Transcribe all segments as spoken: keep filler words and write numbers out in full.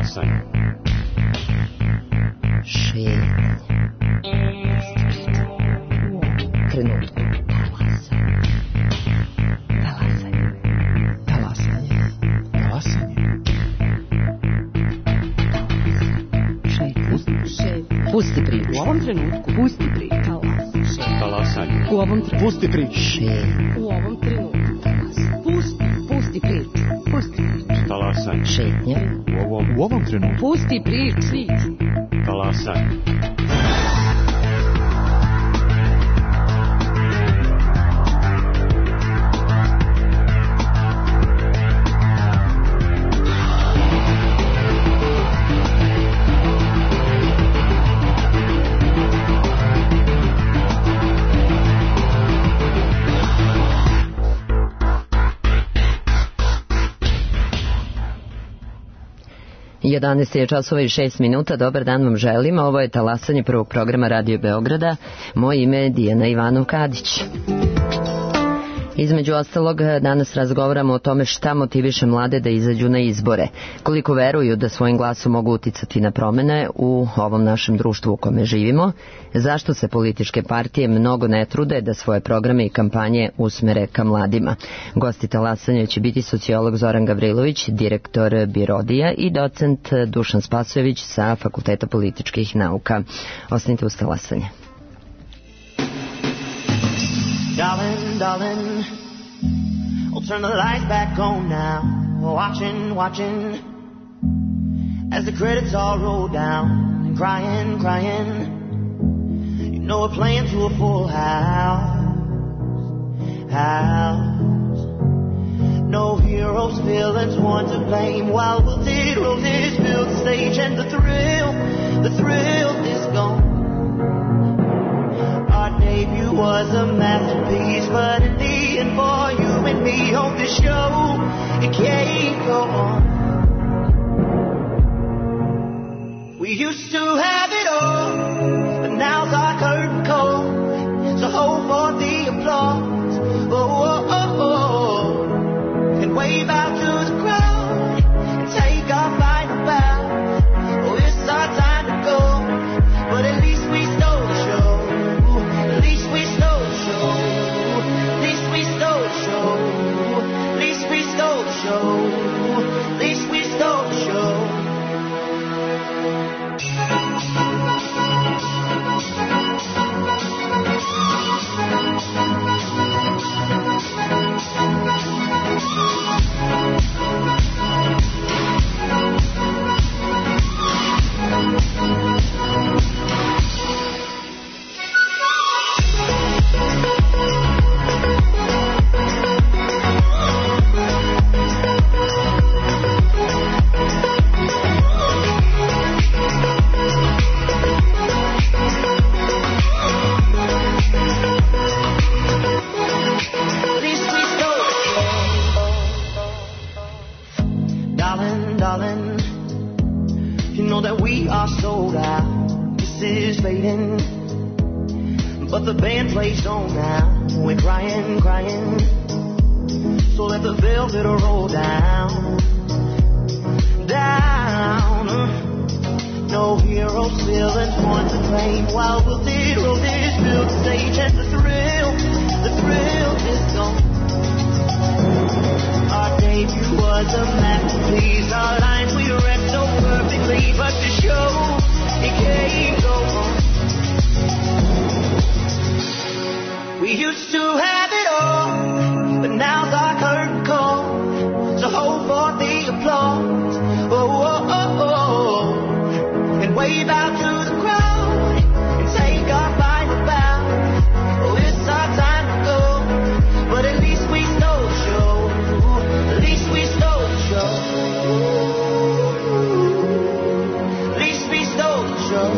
Talasanje. Šetnje. Trenutku. Talasanje. Talasanje. Talasanje. Pusti priču. U ovom trenutku. Pusti priču. Talasanje. U ovom trenutku. Pusti priču. U ovom trenutku. Pusti, pusti priču. Pusti priču. Talasanje. Šetnja. U ovom, U ovom trenutku. Pusti priču. talasanje. jedanaest je časova i šest minuta. Dobar dan vam želim. Ovo je talasanje prvog programa Radio Beograda. Moje ime je Dijana Ivanov-Kadić. Između ostalog, danas razgovaramo o tome šta motiviše mlade da izađu na izbore, koliko veruju da svojim glasom mogu uticati na promene u ovom našem društvu u kome živimo, zašto se političke partije mnogo ne trude da svoje programe i kampanje usmere ka mladima. Gosti talasanja će biti sociolog Zoran Gavrilović, direktor Birodija i docent Dušan Spasojević sa Fakulteta političkih nauka. Ostanite uz talasanje. Darling, darling, I'll turn the lights back on now. Watching, watching, as the credits all roll down. And crying, crying, you know we're playing to a full house. House. No heroes, villains, one to blame. While wilted roses fill the stage, and the thrill, the thrill is gone. Our debut was a masterpiece, but in the end for you and me on this show, it can't go on. We used to have it all, but now's our curtain call. So hold for the applause, oh, oh, oh, oh. And wave out to the crowd, and take our final bow. Oh, it's our time to go, but at least we stole the show. At least we stole the show. At least we stole the show. At least we stole the show. At least we stole the show. But the band plays on now. We're crying, crying. So let the velvet roll down, down. No heroes, villains, one to blame. While wilted roses fill the stage, and the thrill, the thrill is gone. Our debut was a masterpiece. Our lines we read so perfectly, but the show, it can't go on. We used to have it all, but now's our curtain call. So hold for the applause, oh, oh, oh, oh. And wave out to the crowd, and take our final bow. Oh, it's our time to go, but at least we stole the show. At least we stole the show. At least we stole the show.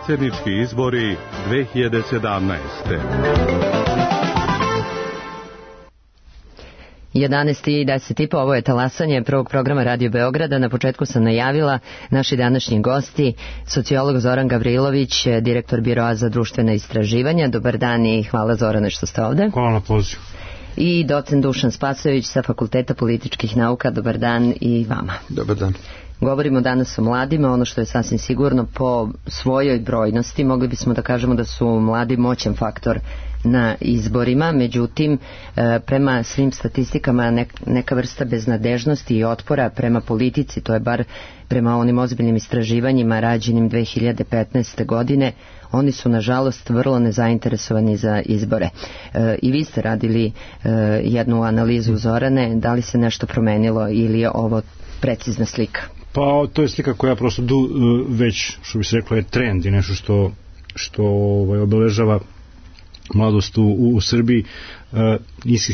predsjednički izbori dve hiljade sedamnaeste. jedanaest i deset i po, ovo je talasanje prvog programa Radio Beograda. Na početku sam najavila naši današnji gosti, sociolog Zoran Gavrilović, direktor Biroa za društvena istraživanja. Dobar dan i hvala Zorane što ste ovde. Hvala na pozivu. I docent Dušan Spasojević sa Fakulteta političkih nauka. Dobar dan i vama. Dobar dan. Govorimo danas o mladima, ono što je sasvim sigurno po svojoj brojnosti. Mogli bismo da kažemo da su mladi moćan faktor na izborima, međutim prema svim statistikama neka vrsta beznadežnosti i otpora prema politici, to je bar prema onim ozbiljnim istraživanjima rađenim dve hiljade petnaeste. godine, oni su nažalost vrlo nezainteresovani za izbore. I vi ste radili jednu analizu, Zorane, da li se nešto promenilo ili je ovo precizna slika? Pa to je slika koja prosto du, već, što bi se reklo, je trend i nešto što, što ovaj, obeležava mladost u, u, u Srbiji. E,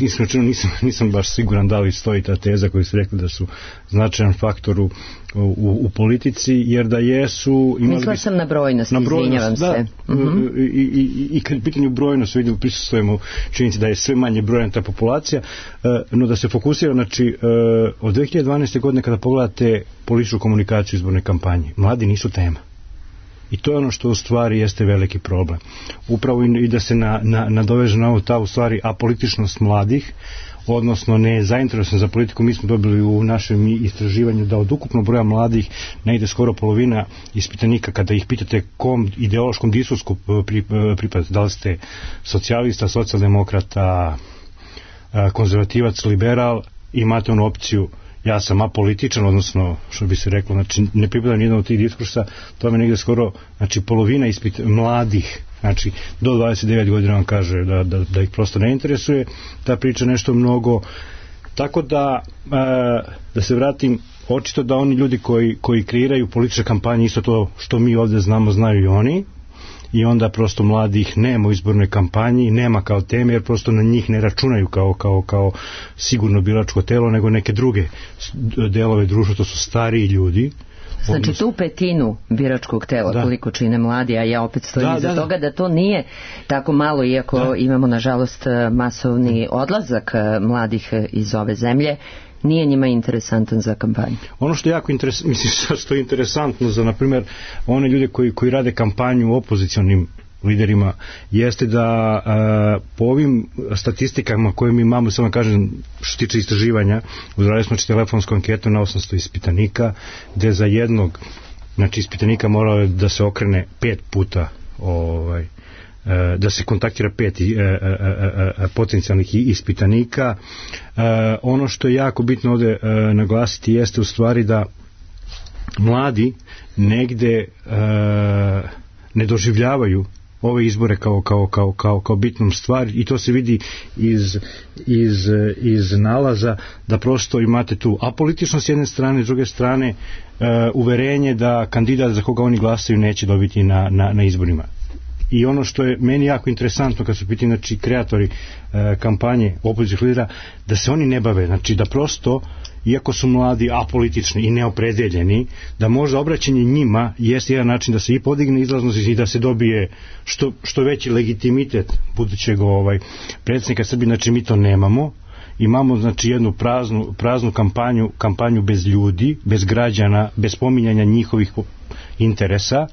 iskreno nisam, nisam baš siguran da li stoji ta teza koju ste rekli da su značajan faktor u, u, u politici, jer da jesu... Mislila sam na brojnost, na brojnost, izvinjavam da, se. Uh-huh. I, i, i kad je pitanje brojnost, vidimo, prisustvujemo činjenici da je sve manje brojna ta populacija, e, no da se fokusira, znači, e, od dve hiljade dvanaeste. godine kada pogledate političku komunikaciju izborne kampanje, mladi nisu tema. I to je ono što u stvari jeste veliki problem. Upravo i da se na, na, nadoveže na ovo ta u stvari apolitičnost mladih, odnosno ne zainteresovan za politiku. Mi smo dobili u našem istraživanju da od ukupnog broja mladih negde skoro polovina ispitanika, kada ih pitate kom ideološkom diskursku pripadate, da li ste socijalista, socijaldemokrata, konzervativac, liberal, imate onu opciju ja sam apolitičan, odnosno što bi se reklo, znači ne pripadam jedan od tih diskursa, to me negde skoro, znači polovina ispit mladih, znači do dvadeset devet godina vam kaže da, da, da ih prosto ne interesuje ta priča nešto mnogo, tako da e, da se vratim, očito da oni ljudi koji, koji kreiraju političke kampanje, isto to što mi ovde znamo, znaju i oni, i onda prosto mladih nema u izbornoj kampanji, nema kao teme, jer prosto na njih ne računaju kao, kao, kao sigurno biračko telo, nego neke druge delove društva, to su stariji ljudi. Znači odnosno, tu petinu biračkog tela, da, koliko čine mladi, a ja opet stojim da, iza da, toga da to nije tako malo, iako da. imamo nažalost masovni odlazak mladih iz ove zemlje, nije njima interesantan za kampanju. Ono što je jako interesantno, mislim što je interesantno za, na primjer, one ljude koji, koji rade kampanju u opozicionim liderima, jeste da a, po ovim statistikama koje mi imamo, samo kažem, što tiče istraživanja, uzradili smo telefonsku anketu na osamsto ispitanika, gde za jednog, znači ispitanika moralo da se okrene pet puta ovaj, da se kontaktira pet potencijalnih ispitanika. Ono što je jako bitno ovde naglasiti jeste u stvari da mladi negde ne doživljavaju ove izbore kao, kao, kao, kao, kao bitnom stvar, i to se vidi iz, iz, iz nalaza da prosto imate tu apolitičnost s jedne strane, s druge strane uverenje da kandidat za koga oni glasaju neće dobiti na, na, na izborima. I ono što je meni jako interesantno kad su pitani, znači, kreatori e, kampanje opozicionih lidera, da se oni ne bave, znači da prosto, iako su mladi, apolitični i neopredeljeni, da možda obraćanje njima jeste jedan način da se i podigne izlaznost i da se dobije što, što veći legitimitet budućeg ovaj, predsjednika Srbije. Znači mi to nemamo. Imamo, znači, jednu praznu, praznu kampanju, kampanju bez ljudi, bez građana, bez pominjanja njihovih interesa,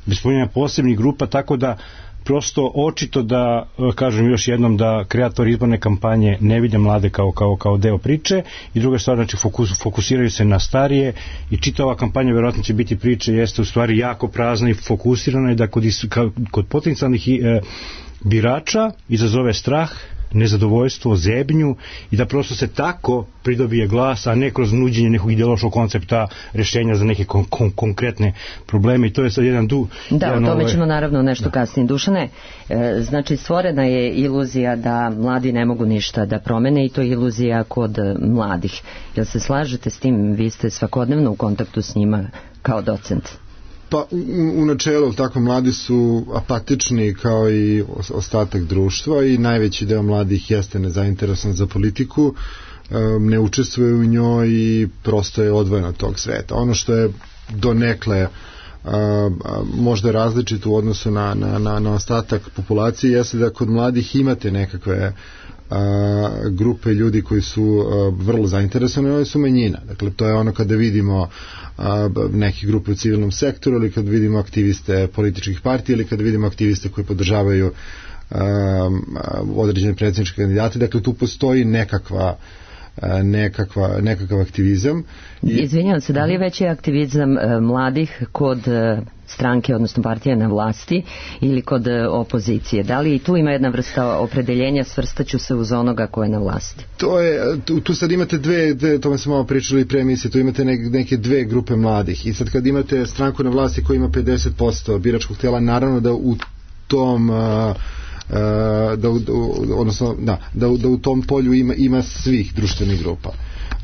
bez spominjanja posebnih grupa, tako da prosto očito da, kažem još jednom, da kreatori izborne kampanje ne vide mlade kao, kao, kao deo priče, i druga stvar, znači fokus, fokusiraju se na starije, i čita ova kampanja verovatno će biti priče, jeste u stvari jako prazna i fokusirana, i da kod, kod potencijalnih e, birača izazove strah, nezadovoljstvo, zebnju, i da prosto se tako pridobije glas, a ne kroz nuđenje nekog ideološkog koncepta rešenja za neke kon, kon, konkretne probleme. I to je sad jedan du... Da, jedan o tome ovaj... ćemo naravno nešto da. kasnije. Dušane, e, znači stvorena je iluzija da mladi ne mogu ništa da promene, i to je iluzija kod mladih. Jel se slažete s tim? Vi ste svakodnevno u kontaktu s njima kao docent. Pa u, u načelu tako, mladi su apatični kao i ostatak društva, i najveći deo mladih jeste nezainteresovan za politiku, ne učestvuje u njoj i prosto je odvojen od tog sveta. Ono što je donekle a, a, možda različit u odnosu na, na, na, na ostatak populacije, jeste da kod mladih imate nekakve a, grupe ljudi koji su a, vrlo zainteresovani, oni su manjina. Dakle, to je ono kada vidimo a, neke grupe u civilnom sektoru, ili kad vidimo aktiviste političkih partija, ili kad vidimo aktiviste koji podržavaju a, određene predsjedničke kandidate. Dakle, tu postoji nekakva nekakva, nekakav aktivizam. I... Izvinjavam se, da li je veći aktivizam e, mladih kod e, stranke, odnosno partije na vlasti ili kod e, opozicije? Da li i tu ima jedna vrsta opredeljenja, svrstaću se uz onoga ko je na vlasti? To je, tu, tu sad imate dve, dve, o tome smo malo pričali pre emisije, tu imate ne, neke dve grupe mladih i sad kad imate stranku na vlasti koja ima pedeset posto biračkog tela, naravno da u tom uh, da, da, odnosno, da, da, da u tom polju ima, ima svih društvenih grupa.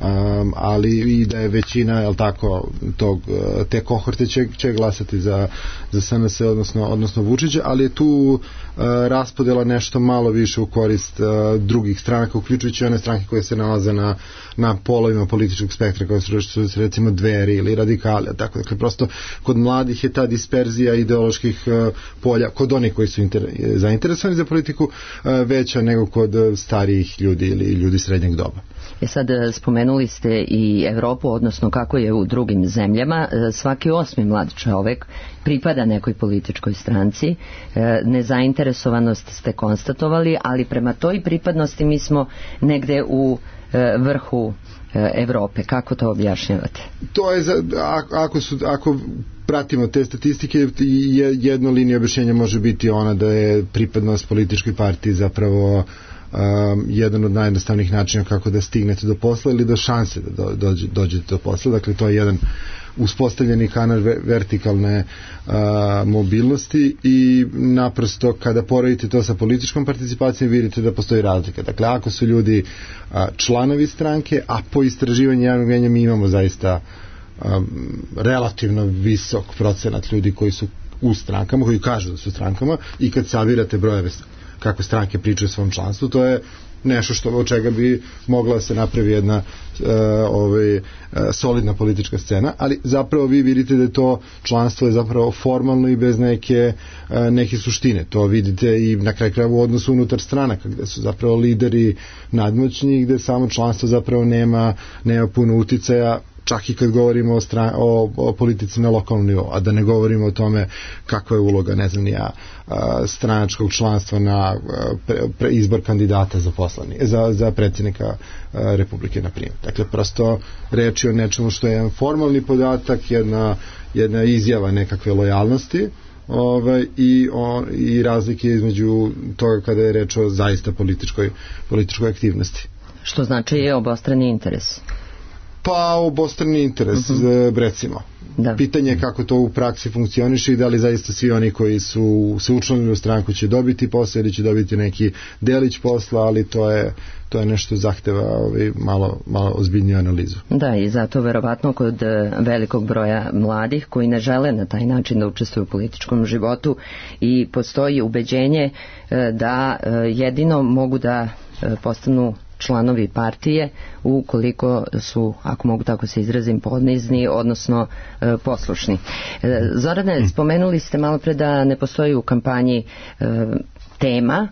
Um, ali i da je većina, jel tako, tog, te kohorte će, će glasati za, za S N S, odnosno, odnosno Vučića, ali je tu uh, raspodela nešto malo više u korist uh, drugih stranaka, uključujući one stranke koje se nalaze na, na polovima političkog spektra, koje su, su recimo Dveri ili Radikali, tako, dakle, prosto kod mladih je ta disperzija ideoloških uh, polja, kod onih koji su inter, zainteresovani za politiku, uh, veća nego kod starijih ljudi ili ljudi srednjeg doba. E sad, spomenuli ste i Evropu, odnosno kako je u drugim zemljama. Svaki osmi mlad čovek pripada nekoj političkoj stranci. Nezainteresovanost ste konstatovali, ali prema toj pripadnosti mi smo negde u vrhu Evrope. Kako to objašnjavate? To je, za, ako, su, ako pratimo te statistike, jedna linija objašnjenja može biti ona da je pripadnost političkoj partiji zapravo Um, jedan od najjednostavnijih načina kako da stignete do posla ili do šanse da do, dođe, dođete do posla. Dakle, to je jedan uspostavljeni kanal vertikalne uh, mobilnosti i naprosto kada poredite to sa političkom participacijom vidite da postoji razlika. Dakle, ako su ljudi uh, članovi stranke, a po istraživanju javnog mnijenja mi imamo zaista um, relativno visok procenat ljudi koji su u strankama, koji kažu da su strankama, i kad sabirate brojeve kako stranke pričaju o svom članstvu, to je nešto što od čega bi mogla se napravi jedna uh, ovaj, uh, solidna politička scena, ali zapravo vi vidite da je to članstvo je zapravo formalno i bez neke, uh, neke suštine. To vidite i na kraju krajeva u odnosu unutar stranaka, gde su zapravo lideri nadmoćni, gde samo članstvo zapravo nema, nema puno uticaja, čak i kad govorimo o, stran, o, o politici na lokalnom nivou, a da ne govorimo o tome kakva je uloga, ne znam, ja, stranačkog članstva na pre, pre izbor kandidata za poslani, za, za predsjednika Republike, na primjer. Dakle, prosto reč je o nečemu što je jedan formalni podatak, jedna, jedna izjava nekakve lojalnosti, ovaj, i, on, i razlike između toga kada je reč o zaista političkoj, političkoj aktivnosti. Što znači je obostrani interes? Pa obostrani interes, uh-huh. recimo. Da. Pitanje je kako to u praksi funkcioniše i da li zaista svi oni koji su se učlanili u stranku će dobiti posao ili će dobiti neki delić posla, ali to je, to je nešto zahteva ovaj, malo, malo ozbiljniju analizu. Da, i zato verovatno kod velikog broja mladih koji ne žele na taj način da učestvuju u političkom životu i postoji ubeđenje da jedino mogu da postanu članovi partije ukoliko su, ako mogu tako se izrazim, podnizni, odnosno e, poslušni. E, Zorane, spomenuli ste malo pre da ne postoji u kampanji e, tema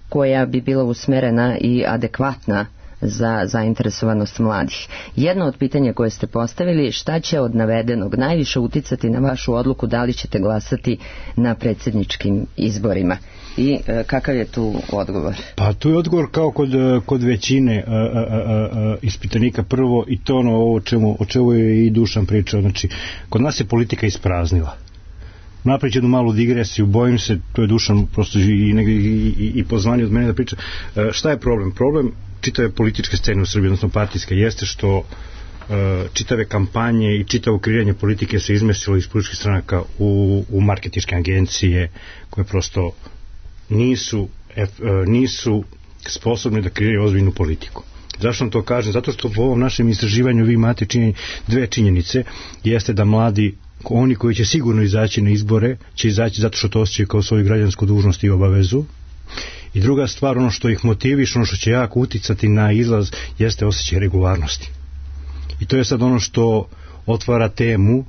koja bi bila usmerena i adekvatna za zainteresovanost mladih. Jedno od pitanja koje ste postavili, šta će od navedenog najviše uticati na vašu odluku da li ćete glasati na predsjedničkim izborima? I e, kakav je tu odgovor? Pa tu je odgovor kao kod, kod većine a, a, a, a, ispitanika. Prvo, i to ono o čemu, o čemu je i Dušan pričao, znači kod nas je politika ispraznila. Napravit ću jednu malu digresiju, bojim se, to je Dušan prosto i, i, i, i pozvanje od mene da priča. E, šta je problem? Problem čitave političke scene u Srbiji, odnosno partijske, jeste što e, čitave kampanje i čitavo kreiranje politike se izmestilo iz političkih stranaka u, u marketinške agencije koje prosto nisu, ef, nisu sposobni da kreiraju ozbiljnu politiku. Zašto vam to kažem? Zato što po ovom našem istraživanju vi imate činjen, dve činjenice, jeste da mladi, oni koji će sigurno izaći na izbore, će izaći zato što to osjećaju kao svoju građansku dužnost i obavezu. I druga stvar, ono što ih motiviše, ono što će jako uticati na izlaz, jeste osjećaj regularnosti. I to je sad ono što otvara temu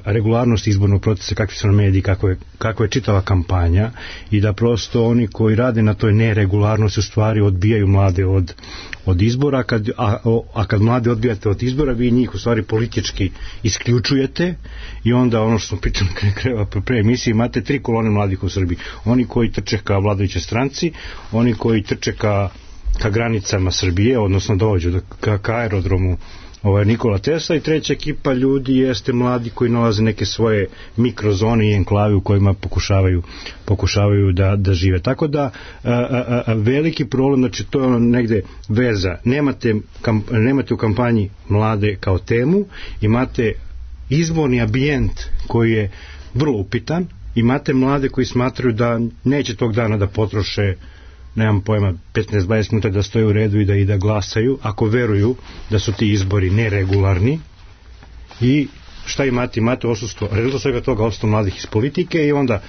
regularnost izbornog procesa, kakvi su na mediji, kako je, kako je čitava kampanja, i da prosto oni koji rade na toj neregularnosti u stvari odbijaju mlade od, od izbora, kad, a, a kad mlade odbijate od izbora, vi njih u stvari politički isključujete, i onda ono što smo pitali pre emisije, imate tri kolone mladih u Srbiji. Oni koji trče ka vladajućoj stranci, oni koji trče ka, ka granicama Srbije, odnosno dođu ka, ka aerodromu ovaj Nikola Tesla, i treća ekipa ljudi jeste mladi koji nalaze neke svoje mikrozone i enklave u kojima pokušavaju, pokušavaju da, da žive. Tako da a, a, a, veliki problem, znači to je ono negde veza. Nemate, kamp, nemate u kampanji mlade kao temu, imate izborni ambijent koji je vrlo upitan, imate mlade koji smatraju da neće tog dana da potroše, nemam pojma, petnaest do dvadeset minuta da stoje u redu i da, i da glasaju, ako veruju da su ti izbori neregularni. I šta imate? Imate odsustvo, rezultat svega toga, odsustvo mladih iz politike, i onda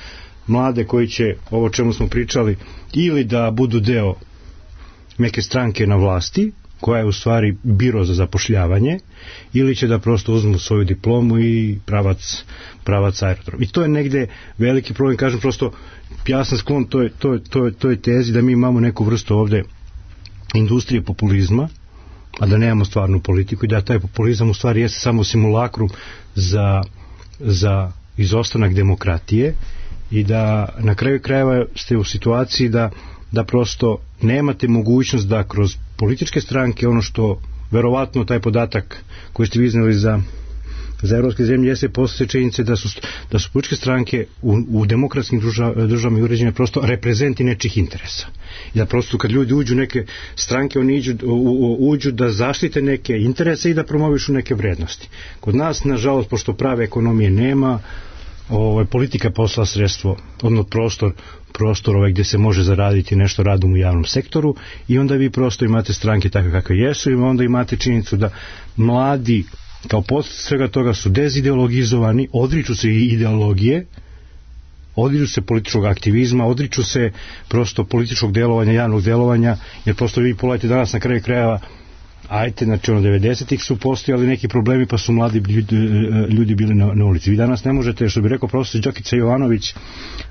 mlade koji će, ovo čemu smo pričali, ili da budu deo neke stranke na vlasti, koja je u stvari biro za zapošljavanje, ili će da prosto uzmu svoju diplomu i pravac, pravac aerodrom. I to je negde veliki problem, kažem, prosto ja sam sklon toj, toj, toj, toj tezi da mi imamo neku vrstu ovde industrije populizma, a da nemamo stvarnu politiku, i da taj populizam u stvari jeste samo simulakrum za, za izostanak demokratije, i da na kraju krajeva ste u situaciji da, da prosto nemate mogućnost da kroz političke stranke, ono što verovatno taj podatak koji ste vi iznali za za evropske zemlje, jeste posle činjenice da su, da su političke stranke u, u demokratskim državama i uređenja prosto reprezenti nečih interesa. I da prosto kad ljudi uđu neke stranke, oni iđu, u, u, uđu da zaštite neke interese i da promovišu neke vrednosti. Kod nas, nažalost, pošto prave ekonomije nema, ovaj, politika posla sredstvo, odnosno prostor, prostor ovaj, gdje se može zaraditi nešto radom u javnom sektoru, i onda vi prosto imate stranke takve kakve jesu, i onda imate činjenicu da mladi kao posljedica svega toga su dezideologizovani, odriču se i ideologije, odriču se političkog aktivizma, odriču se prosto političkog delovanja, javnog delovanja, jer prosto vi pogledajte danas na kraju krajeva, ajte, znači ono devedesetih su postojali neki problemi, pa su mladi ljudi, ljudi bili na, na ulici. Vi danas ne možete, što bi rekao profesor Đokica Jovanović,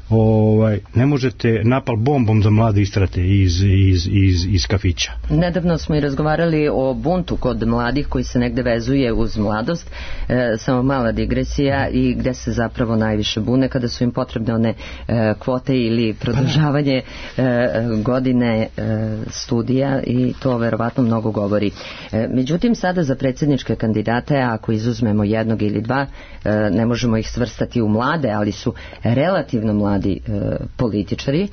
ovaj, ne možete napal bombom da mlade istrate iz, iz, iz, iz kafića. Nedavno smo i razgovarali o buntu kod mladih koji se negde vezuje uz mladost, e, samo mala digresija, i gde se zapravo najviše bune kada su im potrebne one e, kvote ili produžavanje e, godine e, studija, i to verovatno mnogo govori. E, međutim, sada za predsjedničke kandidate, ako izuzmemo jednog ili dva, e, ne možemo ih svrstati u mlade, ali su relativno mladi mladi e, političari, e,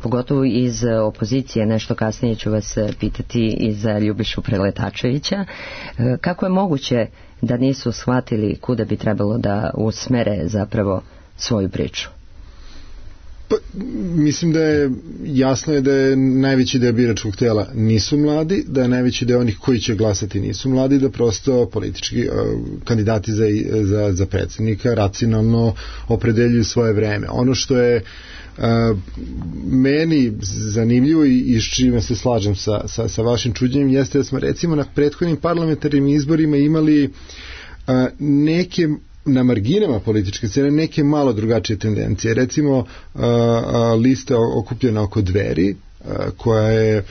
pogotovo iz opozicije. Nešto kasnije ću vas pitati i za Ljubišu Preletačevića. E, kako je moguće da nisu shvatili kuda bi trebalo da usmere zapravo svoju priču? Pa, mislim da je jasno je da je najveći deo biračkog tela nisu mladi, da je najveći deo onih koji će glasati nisu mladi, da prosto politički uh, kandidati za, za, za predsjednika racionalno opredeljuju svoje vreme. Ono što je uh, meni zanimljivo i, i s čime se slažem sa, sa, sa vašim čuđenjem jeste da smo recimo na prethodnim parlamentarnim izborima imali uh, neke na marginama političke scene neke malo drugačije tendencije. Recimo a, a, lista okupljena oko Dveri, a, koja je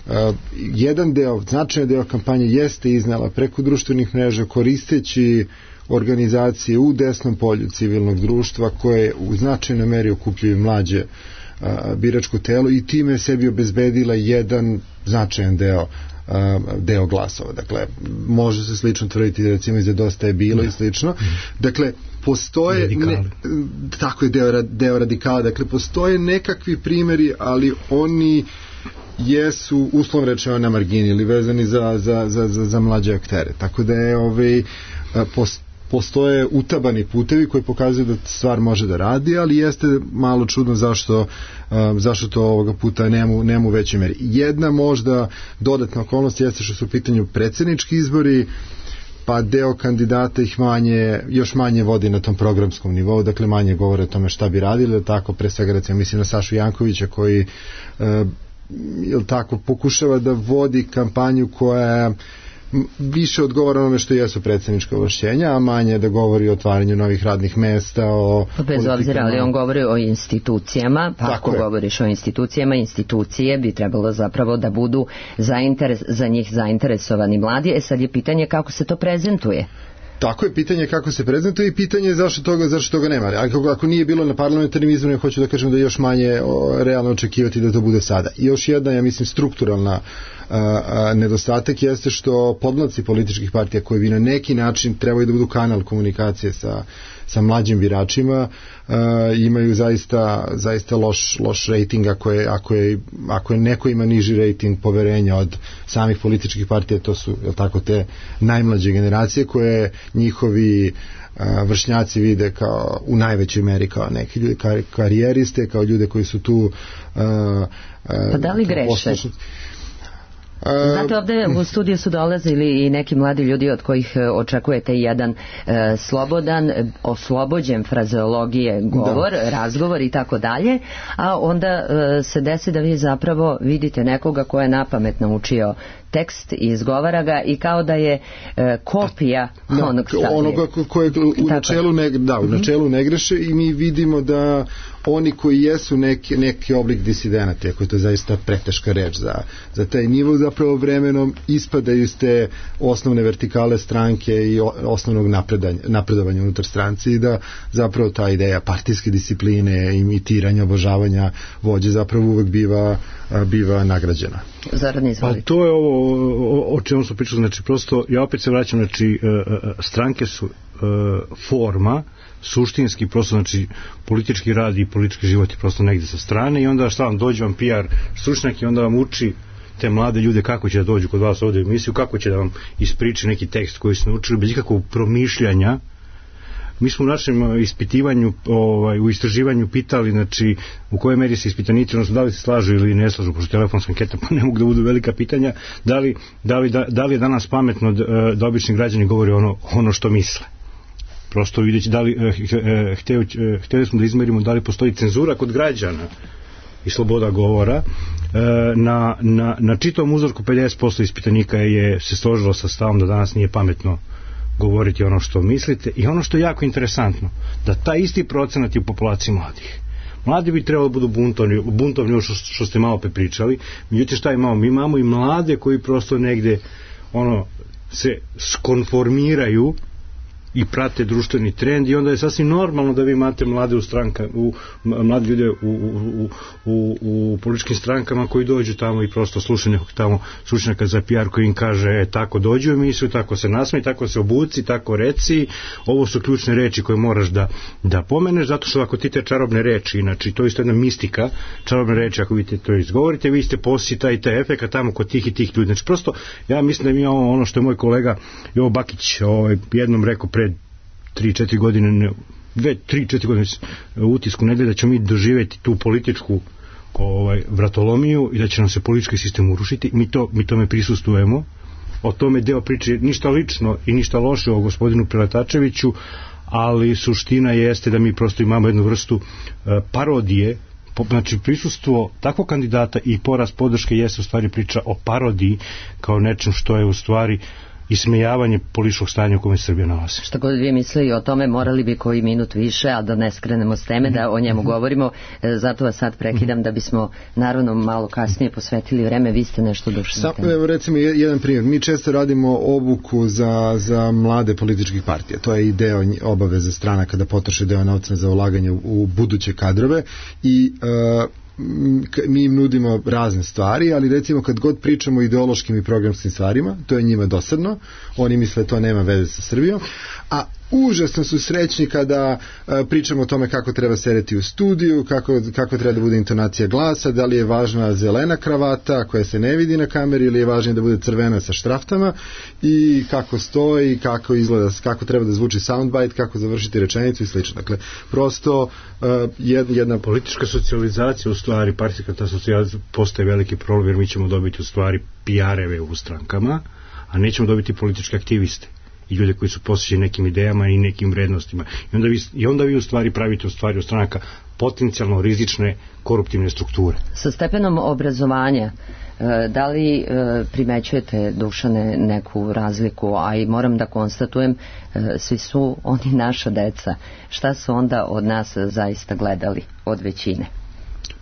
a, jedan deo, značajan deo kampanje jeste iznala preko društvenih mreža, koristeći organizacije u desnom polju civilnog društva koje u značajnoj meri okupljaju mlađe a, biračko telo, i time sebi obezbedila jedan značajan deo deo glasova. Dakle, može se slično tvrditi recimo i za Dosta je bilo i slično. Dakle, postoje ne, tako je deo, deo radikala, dakle postoje nekakvi primjeri, ali oni jesu uslovno rečeno na margini ili vezani za, za, za, za, za mlađe aktere. Tako da je ovaj, post, postoje utabani putevi koji pokazuju da stvar može da radi, ali jeste malo čudno zašto, um, zašto to ovoga puta nema, nema u većoj meri. Jedna možda dodatna okolnost jeste što su u pitanju predsjednički izbori, pa deo kandidata ih manje, još manje vodi na tom programskom nivou, dakle manje govore o tome šta bi radili, tako pre svega recimo mislim na Sašu Jankovića koji uh, jel tako, pokušava da vodi kampanju koja više odgovara onome što jesu predsednička ovlašćenja, a manje da govori o otvaranju novih radnih mesta, o pa bez obzira, ali on govori o institucijama, pa ako je. govoriš o institucijama, institucije bi trebalo zapravo da budu zainteres, za njih zainteresovani mladi. E sad je pitanje kako se to prezentuje. Tako je, pitanje kako se prezentuje i pitanje je zašto toga, zašto toga nema. Ako, ako nije bilo na parlamentarnim izborima, hoću da kažem da je još manje o, realno očekivati da to bude sada. I još jedna, ja mislim, strukturalna a, a, nedostatak jeste što podmlaci političkih partija koji bi na neki način trebaju da budu kanal komunikacije sa, sa mlađim biračima, a, imaju zaista, zaista loš, loš rating ako je, ako, je, ako je neko ima niži rating poverenja od samih političkih partija, to su, je tako, te najmlađe generacije koje njihovi a, vršnjaci vide kao u najvećoj meri kao neki ljudi kar, karijeriste, kao ljude koji su tu a, a, pa da li greše? Poslušni. Znate, ovde u studiju su dolazili i neki mladi ljudi od kojih očekujete jedan e, slobodan, oslobođen frazeologije govor, da. razgovor i tako dalje, a onda e, se desi da vi zapravo vidite nekoga ko je napamet naučio tekst i izgovara ga i kao da je e, kopija da, onog stadija. Onoga koje u načelu ne, da, u načelu ne greše i mi vidimo da oni koji jesu neki, neki oblik disidenata, ako je to zaista preteška reč za, za taj nivo, zapravo vremenom ispadaju iz te osnovne vertikale stranke i osnovnog napredovanja unutar stranci i da zapravo ta ideja partijske discipline, imitiranja, obožavanja vođe zapravo uvek biva, biva nagrađena. Zoran, izvolite. Pa to je ovo o, o čemu smo pričali, znači prosto ja opet se vraćam, znači stranke su forma, suštinski prosto, znači politički rad i politički život je prosto negde sa strane i onda šta vam dođe vam P R stručnjak i onda vam uči te mlade ljude kako će da dođu kod vas ovde u emisiju, kako će da vam ispriči neki tekst koji su naučili bez ikakvog promišljanja. Mi smo u našem ispitivanju, ovaj, u istraživanju pitali, znači, u kojoj meri se ispitanici, odnosno da li se slažu ili ne slažu, pošto telefonska anketa pa ne mogu da budu velika pitanja, da li, da li, da, da li je danas pametno da, da obični građani govore ono, ono što misle. Prosto vidjeći da li, hteli, hteli smo da izmerimo da li postoji cenzura kod građana i sloboda govora. Na, na, na čitavom uzorku pedeset posto ispitanika je se složilo sa stavom da danas nije pametno govoriti ono što mislite i ono što je jako interesantno, da taj isti procenat je u populaciji mladih. Mladi bi trebalo da budu buntovni, buntovni što, što ste malo prepričali, međutim šta imamo? Mi imamo i mlade koji prosto negde ono, se skonformiraju i prate društveni trend i onda je sasvim normalno da vi imate mlade u stranka, u, mlade ljude u, u, u, u, u političkim strankama koji dođu tamo i prosto slušaju nekog tamo stručnjaka za P R koji im kaže e, tako dođu u emisiju, tako se nasmej, tako se obuci, tako reci, ovo su ključne reči koje moraš da, da pomeneš, zato što ako ti te čarobne reči, znači to je isto jedna mistika, čarobne reči, ako vi te to izgovorite, vi ste posi taj taj efekt tamo kod tih i tih ljudi. Znači prosto, ja mislim da mi imamo ono što je moj kolega Jovo Bakić ovaj, jednom rekao pred tri četiri godine, dve, tri, četiri godine utisku nedelje da ćemo mi doživjeti tu političku ovaj, vratolomiju i da će nam se politički sistem urušiti. Mi, to, mi tome prisustujemo. O tome deo priče ništa lično i ništa loše o gospodinu Preletačeviću, ali suština jeste da mi prosto imamo jednu vrstu uh, parodije. Znači prisustvo takvog kandidata i porast podrške jeste u stvari priča o parodiji kao nečem što je u stvari ismejavanje političkog stanja u kome se Srbija nalazi. Šta god vi mislili o tome, morali bi koji minut više, a da ne skrenemo s teme, da o njemu govorimo. Zato vas sad prekidam da bismo naravno malo kasnije posvetili vreme. Vi ste nešto dušli. Evo recimo jedan primjer. Mi često radimo obuku za, za mlade političkih partija. To je i deo obaveze stranaka da potroše deo novca za ulaganje u, u buduće kadrove i uh, mi im nudimo razne stvari, ali recimo kad god pričamo o ideološkim i programskim stvarima, to je njima dosadno, oni misle to nema veze sa Srbijom, a užasno su srećni kada a, pričamo o tome kako treba sedeti u studiju, kako, kako treba da bude intonacija glasa, da li je važna zelena kravata koja se ne vidi na kameri ili je važnije da bude crvena sa štraftama i kako stoji, kako izgleda, kako treba da zvuči soundbite, kako završiti rečenicu i slično. Dakle, prosto a, jedna politička socijalizacija u stvari, partijska ta socijalizacija postaje veliki problem jer mi ćemo dobiti u stvari P R-eve u strankama, a nećemo dobiti političke aktiviste i ljude koji su posvećeni nekim idejama i nekim vrednostima. I onda vi, i onda vi u stvari pravite u stvari od stranaka potencijalno rizične koruptivne strukture. Sa stepenom obrazovanja Da li primećujete, Dušane, neku razliku, a i moram da konstatujem, svi su oni naša deca. Šta su onda od nas zaista gledali od većine?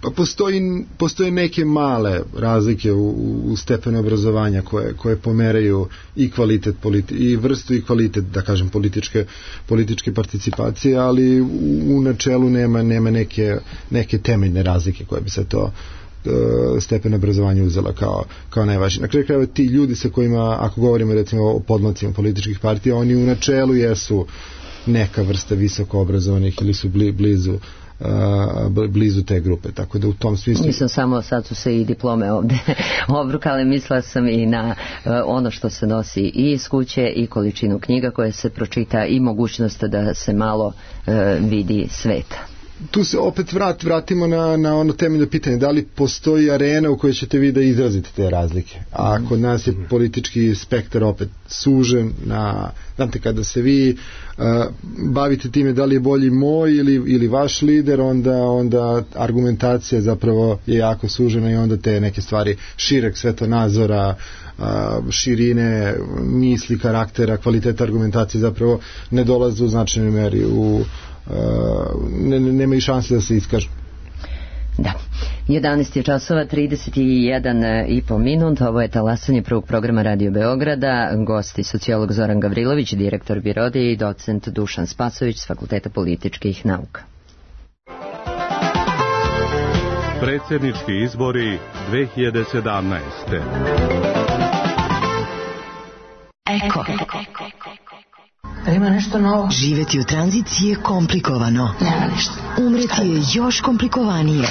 Pa postoji, postoje neke male razlike u, u stepenu obrazovanja koje, koje pomeraju i kvalitet politi, i vrstu i kvalitet, da kažem, političke, političke participacije, ali u, u načelu nema, nema neke, neke temeljne razlike koje bi se to stepen obrazovanja uzela kao, kao najvažnije. Na kraju krajeva ti ljudi sa kojima, ako govorimo recimo o podmlacima političkih partija, oni u načelu jesu neka vrsta visoko obrazovanih ili su bli, blizu blizu te grupe, tako da u tom smislu... Nisam samo, sad su se i diplome ovde obrukale, mislila sam i na uh, ono što se nosi i iz kuće i količinu knjiga koje se pročita i mogućnost da se malo uh, vidi sveta. Tu se opet vrat, vratimo na, na ono temeljno pitanje, da li postoji arena u kojoj ćete vi da izrazite te razlike, a kod nas je politički spektar opet sužen na, znate, kada se vi uh, bavite time da li je bolji moj ili, ili vaš lider, onda, onda argumentacija zapravo je jako sužena i onda te neke stvari šireg svetonazora, uh, širine misli, karaktera, kvaliteta argumentacije zapravo ne dolaze u značajnoj meri u Uh, ne, ne, nema i šanse da se iskažu. Da. jedanaest je časova, trideset jedan i po minut. Ovo je talasanje prvog programa Radio Beograda. Gosti sociolog Zoran Gavrilović, direktor Birode, i docent Dušan Spasović s Fakulteta političkih nauka. Predsjednički izbori dve hiljade sedamnaeste. Eko. Ima nešto novo. Živeti u tranziciji je komplikovano. Nema ništa. Umreti je još komplikovanije.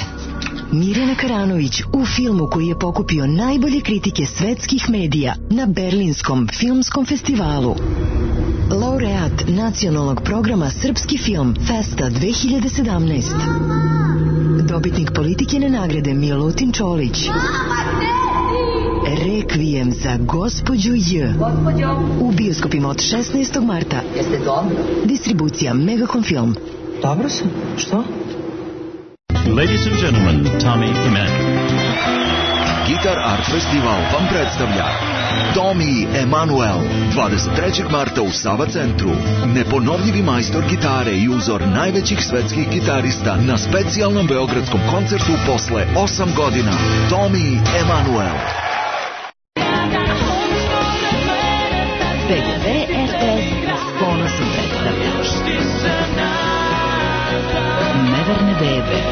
Mirjana Karanović u filmu koji je pokupio najbolje kritike svetskih medija na Berlinskom filmskom festivalu. Laureat nacionalnog programa Srpski film Festa dve hiljade sedamnaest. Dobitnik Politikine nagrade Milutin Čolić. Rekvijem za gospođu J. U bioskopima od šesnaestog marta. Jeste dobro? Distribucija Megacom Film. Dobro sam. Što? Ladies and gentlemen, Tommy Emanuel. Guitar Art Festival vam predstavlja Tommy Emanuel dvadeset trećeg marta u Sava centru. Neponovljivi majstor gitare i uzor najvećih svetskih gitarista na specijalnom beogradskom koncertu posle osam godina. Tommy Emanuel. P G P R T S s ponosom predstavlja Neverne bebe.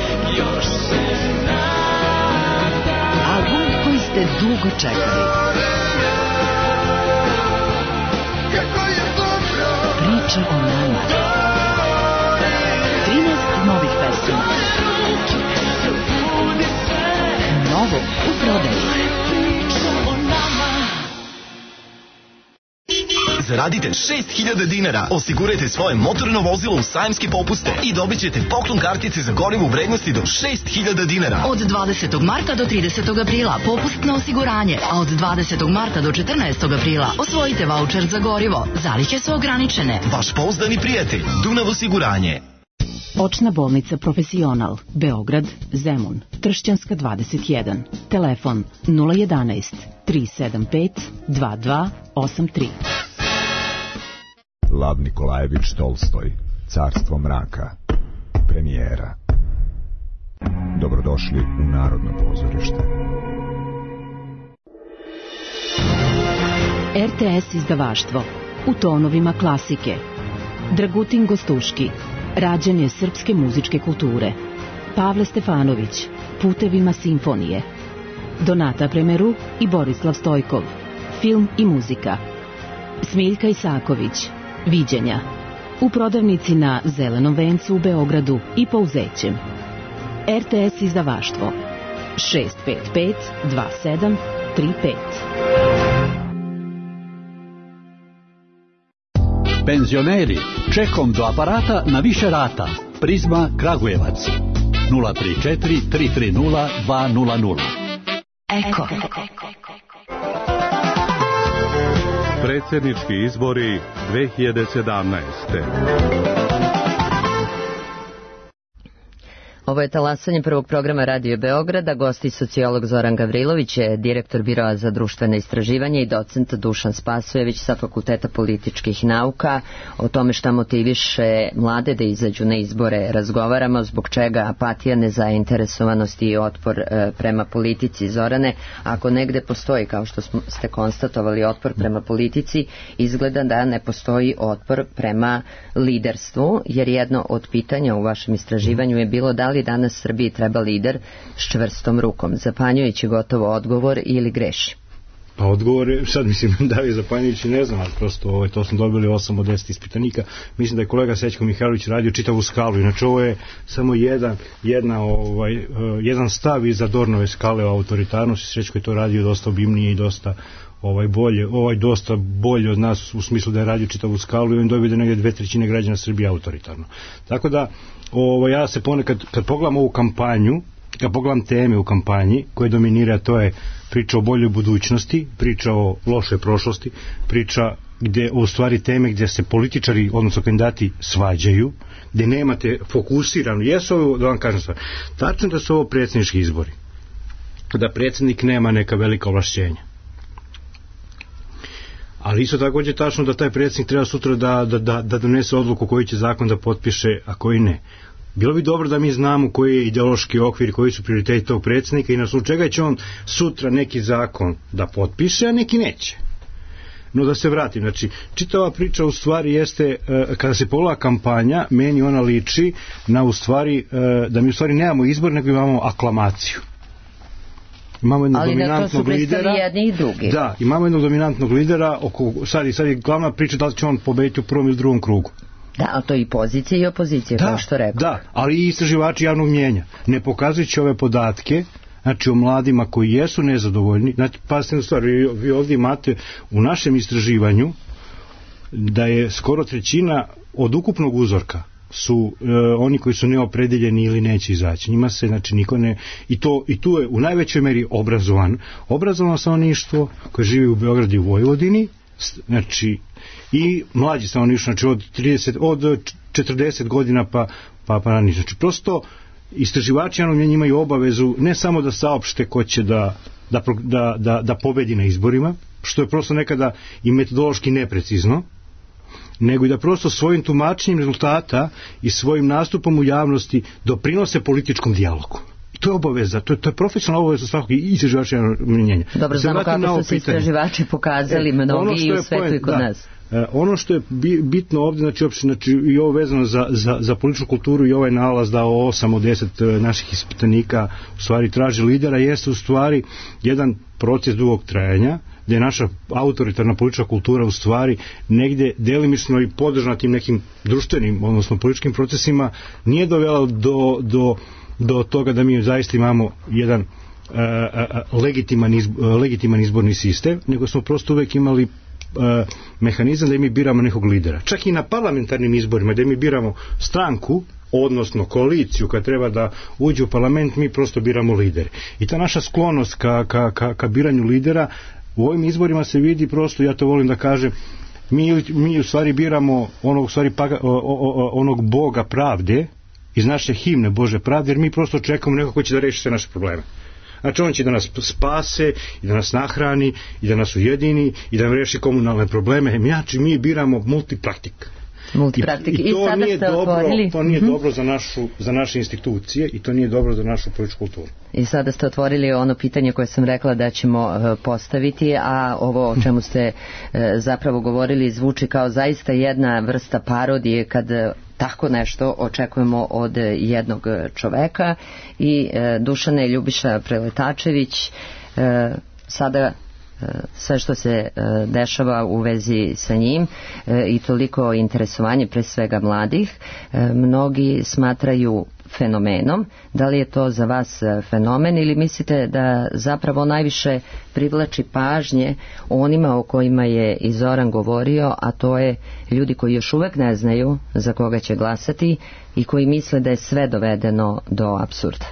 Album koji ste dugo čekali. Priča o nama. trinaest novih pesama. Novo u prodaju. Zaradite šest hiljada dinara, osigurajte svoje motorno vozilo u sajamske popuste i dobit ćete poklon kartice za gorivo u vrednosti do šest hiljada dinara. Od dvadesetog marta do tridesetog aprila popust na osiguranje, a od dvadesetog marta do četrnaestog aprila osvojite vaučer za gorivo. Zalihe su ograničene. Vaš pouzdani prijatelj, Dunav osiguranje. Očna bolnica Profesional, Beograd, Zemun, Tršćanska dvadeset jedan. Telefon nula jedanaest tri sedam pet dva dva osam tri. Lav Nikolajević Tolstoj, Carstvo mraka, premijera. Dobrodošli u Narodno pozorište. R T S izdavaštvo, u tonovima klasike. Dragutin Gostuški, rađanje srpske muzičke kulture. Pavle Stefanović, Putevima simfonije. Donata Premeru i Borislav Stojkov, film i muzika. Smiljka Isaković, Viđenja, u prodavnici na Zelenom vencu u Beogradu i Pouzećem. R T S izdavaštvo šest pet pet dva sedam tri pet. Penzioneri, čekom do aparata na više rata. Prizma Kragujevac nula tri četiri tri tri nula dva nula nula. Eko. Predsjednički izbori dve hiljade sedamnaeste. Ovo je talasanje prvog programa Radio Beograda, gosti sociolog Zoran Gavrilović, je direktor Biroa za društvene istraživanje i docent Dušan Spasojević sa Fakulteta političkih nauka. O tome šta motiviše mlade da izađu na izbore razgovaramo, zbog čega apatija, nezainteresovanost i otpor e, prema politici. Zorane, ako negde postoji, kao što smo, ste konstatovali, otpor prema politici, izgleda da ne postoji otpor prema liderstvu, jer jedno od pitanja u vašem istraživanju je bilo da li danas Srbiji treba lider s čvrstom rukom. Zapanjujući gotovo odgovor ili greši? Pa odgovor je, sad mislim da je zapanjujući, ne znam, ali prosto ovaj, to smo dobili osam od deset ispitanika. Mislim da je kolega Sećko Mihajlović radio čitavu skalu, inače ovo je samo jedan, jedna, ovaj, uh, jedan stav iza Dornove skale o autoritarnosti. Sećko je to radio dosta obimnije i dosta ovaj bolje, ovaj dosta bolje od nas u smislu da je radio čitavu skalu i on dobio da negdje dve trećine građana Srbije autoritarno. Tako da ovaj, ja se ponekad, kad pogledam ovu kampanju, kad pogledam teme u kampanji koje dominira, to je priča o boljoj budućnosti, priča o lošoj prošlosti, priča gde u stvari teme gdje se političari, odnosno kandidati, svađaju, gdje nemate fokusirano, jesu ovo, da vam kažem stvar, tačno da su ovo predsjednički izbori, da predsjednik nema neka velika ovlašćenja. Ali isto također tačno da taj predsjednik treba sutra da, da, da, da donese odluku koji će zakon da potpiše, a koji ne. Bilo bi dobro da mi znamo koji je ideološki okvir, koji su prioriteti tog predsjednika i na osnovu čega će on sutra neki zakon da potpiše, a neki neće. No da se vratim, znači, čitava priča u stvari jeste, kada se pogleda kampanja, meni ona liči na u stvari, da mi u stvari nemamo izbor, nego imamo aklamaciju. Imamo jednog ali dominantnog lidera. Jedni i drugi. Da, imamo jednog dominantnog lidera, oko, sad, sad je glavna priča da li će on pobediti u prvom ili drugom krugu. Da, a to i pozicija i opozicija, da, kao što rekao. Da, ali i istraživači javnog mnjenja. Ne pokazujući ove podatke, znači o mladima koji jesu nezadovoljni, znači, pazite na stvar, vi, vi ovdje imate u našem istraživanju da je skoro trećina od ukupnog uzorka su e, oni koji su neopredeljeni ili neće izaći. Njima se, znači, niko ne... I, to, i tu je u najvećoj meri obrazovan. Obrazovano stanovništvo koje živi u Beogradu i u Vojvodini, znači, i mlađi stanovništvo, znači od, trideset, od četrdeset godina pa, pa, pa ranije. Znači, prosto istraživači javnog mnjenja imaju obavezu ne samo da saopšte ko će da, da, da, da, da pobedi na izborima, što je prosto nekada i metodološki neprecizno, nego i da prosto svojim tumačenjem rezultata i svojim nastupom u javnosti doprinose političkom dijalogu. I to je obaveza, to je, to je profesionalna obaveza svakog i istraživača mnjenja. Dobro, znamo kako su se istraživači pokazali, mnogi i u svetu i kod da, nas. Ono što je bitno ovdje, znači, opšte, znači i ovo vezano za, za, za političku kulturu i ovaj nalaz da osam od deset naših ispitanika u stvari traži lidera, jeste u stvari jedan proces dugog trajanja, gdje je naša autoritarna politička kultura u stvari negdje delimično i podržana tim nekim društvenim, odnosno političkim procesima, nije dovela do, do, do toga da mi zaista imamo jedan uh, uh, legitiman, izbor, uh, legitiman izborni sistem, nego smo prosto uvek imali Uh, mehanizam da mi biramo nekog lidera. Čak i na parlamentarnim izborima da mi biramo stranku, odnosno koaliciju kad treba da uđe u parlament, mi prosto biramo lidere. I ta naša sklonost ka, ka, ka, ka biranju lidera u ovim izborima se vidi prosto, ja to volim da kažem, mi, mi u stvari biramo onog, u stvari, paga, o, o, onog Boga pravde iz naše himne Bože pravde, jer mi prosto čekamo nekog ko će da reši sve naše probleme. Znači on će da nas spase i da nas nahrani i da nas ujedini i da nam reši komunalne probleme. Znači mi biramo multipraktik. Multipraktik. I, i to I nije dobro, otvorili... to nije mm-hmm. dobro za, našu, za naše institucije i to nije dobro za našu političku kulturu. I sada ste otvorili ono pitanje koje sam rekla da ćemo uh, postaviti, a ovo o čemu ste uh, zapravo govorili zvuči kao zaista jedna vrsta parodije kad uh, tako nešto očekujemo od jednog čoveka. I uh, Dušane, Ljubiša Preletačević, uh, sada sve što se uh, dešava u vezi sa njim uh, i toliko interesovanje pre svega mladih, uh, mnogi smatraju fenomenom. Da li je to za vas fenomen ili mislite da zapravo najviše privlači pažnje onima o kojima je i Zoran govorio, a to je ljudi koji još uvek ne znaju za koga će glasati i koji misle da je sve dovedeno do apsurda?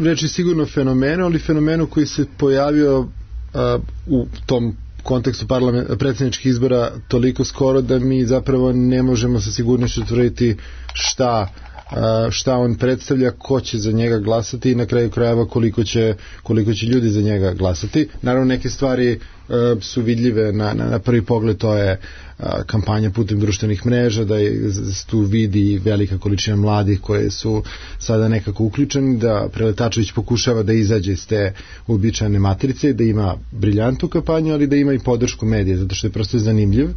Reći sigurno fenomenu, ali fenomenu koji se pojavio uh, u tom kontekstu predsjedničkih izbora toliko skoro da mi zapravo ne možemo sa sigurnošću tvrditi šta šta on predstavlja, ko će za njega glasati i na kraju krajeva koliko će, koliko će ljudi za njega glasati. Naravno neke stvari su vidljive na, na, na prvi pogled, to je kampanja putem društvenih mreža, da je tu vidi velika količina mladih koje su sada nekako uključeni, da Preletačević pokušava da izađe iz te uobičajene matrice, da ima briljantnu kampanju, ali da ima i podršku medija, zato što je prosto zanimljiv